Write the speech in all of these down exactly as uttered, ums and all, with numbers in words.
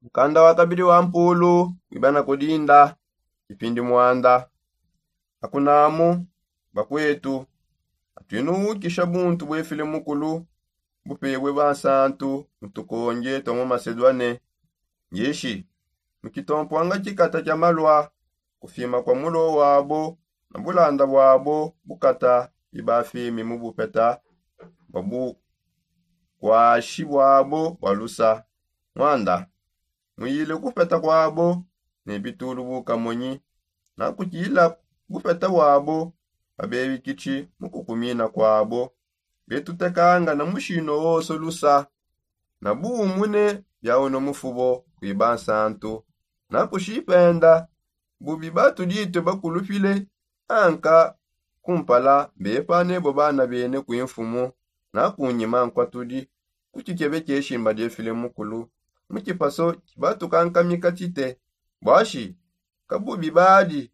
Mukanda wa kabidi wa mpulu wibana kudinda kipindi mwanda. Akunamu bakwetu, atwinu wukisha buntu bwefile mukulu bupebwe bansantu mu tukonje twa mu masedwane. Ngishi mu kitompwanga kikata kya malwa kufima kwa mulo wabo na bulanda bwabo bukata bibafimi mu bupeta bwa bukwashi bwabo bwa lusa. Mwanda muyile kupeta kwabo ne bitulu bukamonyi na kutila kupeta wabo. Babebi kichi mu kukumina kwabo betutekanga na mushino woso lusa na buumune bya uno mufubo kwiba nsantu. Na kushipenda bubi batuditwe bakulupile anka kumpala bepa nebo bana bene kwimfumu na kunyima nkwa tudi kukikebe kyeshimba dyefile mukulu mu kipaso kibatukankamika tite. Bwashi kabubi badi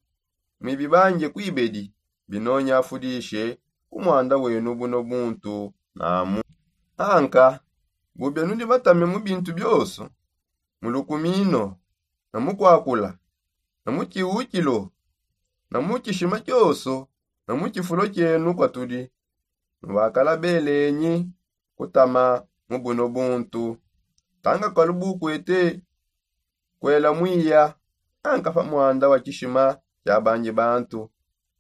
mwibi banje kwibedi binonya afudishe ku mwanda wenu buno buntu namu. Anka bubia nudi batame mu bintu byoso mu lukumino na mu kwakula na mu kiwukilo na mu kishima kyoso na mu kifulo kyenu kwatudi. Nubakala belenyi kutama mu buno buntu tanga kalubukwete kwela mwiya anka pa mwanda wa kishima kya banji bantu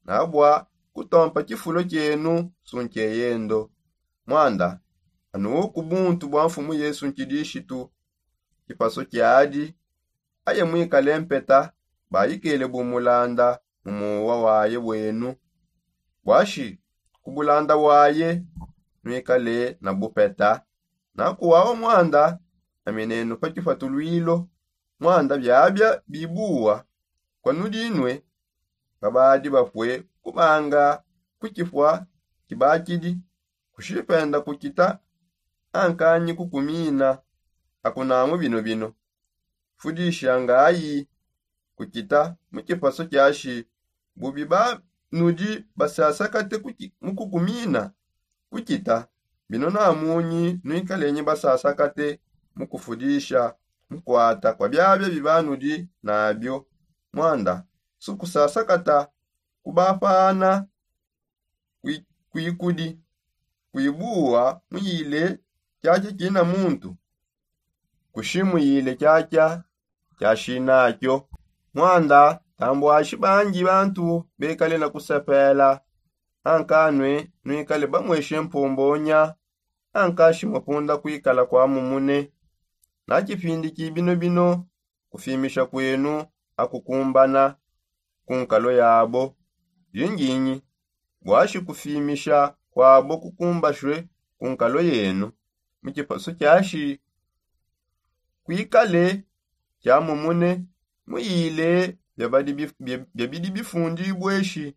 na bwa kutompa kifulo kyenu sunkeyendo. Mwanda anuwu ku buntu bwa mfumu yesu nkidishitu kipaso kyadi aye mwikale mpeta bayikele bumulanda mu muwa waye bwenu. Bwashi ku bulanda waye nwikale na bupeta na kuwawa mwanda na minenu pa kipatulwilo. Mwanda byabya bibuwa kwa nudinwe babadi bapwe kubanga ku kipwa kibakidi kushipenda kukita ankanyi kukumina. Akunamu bino bino fudishangayi kukita mu kipaso kyashi bubi banudi basasakate mu kukumina kukita bino namunyi nwikalenyi basasakate mu kufudisha mu kwata kwa byabya bibanudi nabyo. Mwanda sukusasakata kubapana kwikudi kwibuwa muyile kyakya kina muntu kushimuyile kyakya kyashinakyo. Mwanda tambwashi banji bantu bekale na kusepela ankanwe nwikale bamweshe mpombonya ankashi mapunda kwikala kwa mumune na kipindi kibino bino kufimisha kwenu akukumbana ku nkalo yabo. Linginyi bwashi kufimisha kwabo kukumbashwe ku nkalo yenu mu kipaso kyashi kwikale kyamumune muyile byabidi bifundibweshi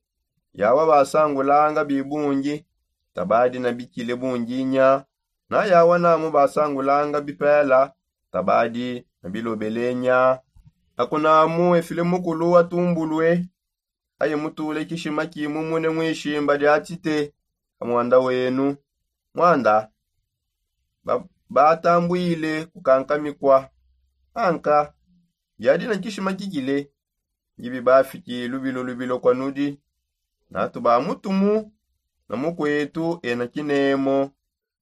yawa basangulanga bibungi tabadi na bikile bunginya na yawa namu basangulanga bipela tabadi na bilobelenya. Akunamu efile mukulu atumbulwe aye mutule kishima kimumune mwishimba lya tite ka mwanda wenu. Mwanda batambwile kukankamikwa anka byadi na kishima kikile ngibi bafiki lubilo lubilo kwa nudi natu ba mutumu na mukwetu ena kinemo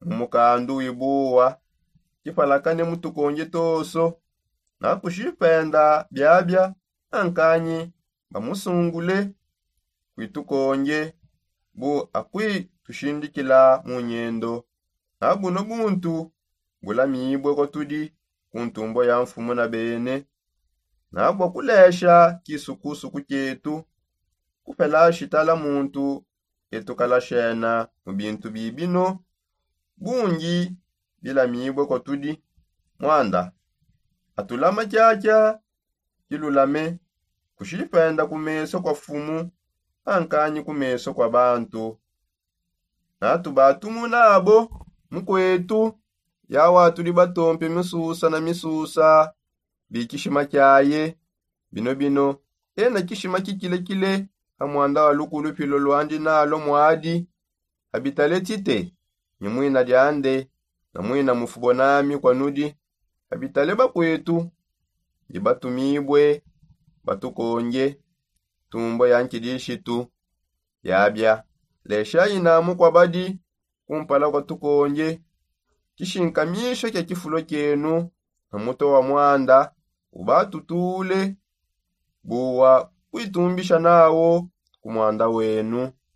mu mukandu wibuwa kipalakane mu tukonje toso na kushipenda byabya ankanyi bamusungule kwitukonje bu akwitushindikila mu nyendo. Na buno buntu bulamibwe kwa tudi ku ntumbo ya mfumu na bene na bwa kulesha kisukusuku kyetu kupela shitala muntu etukalashena mu bintu bibino bungi bilamibwe kwa tudi. Mwanda atulama kyakya kilulame kushipenda ku meso kwa fumu ankanyi ku meso kwa bantu. Natu batumu nabo mukwetu yawa tuli batompe misusa na misusa bikishima kyaye bino bino ena kishima kikilekile ha mwanda wa lukulupilo lwandi nalo mwadi abitale tite ni mwina lyande na mwina mufubo nami kwa nudi abitale bakwetu ndi batumibue batukonge tumbo ya nkidishitu. Yabia, lesha ina mukua badi kumpala kua tukonge kishinkamisha kia kifulo kienu na mutue wa muanda ubatutule bua kuitumbisha nawo ku muanda wenu.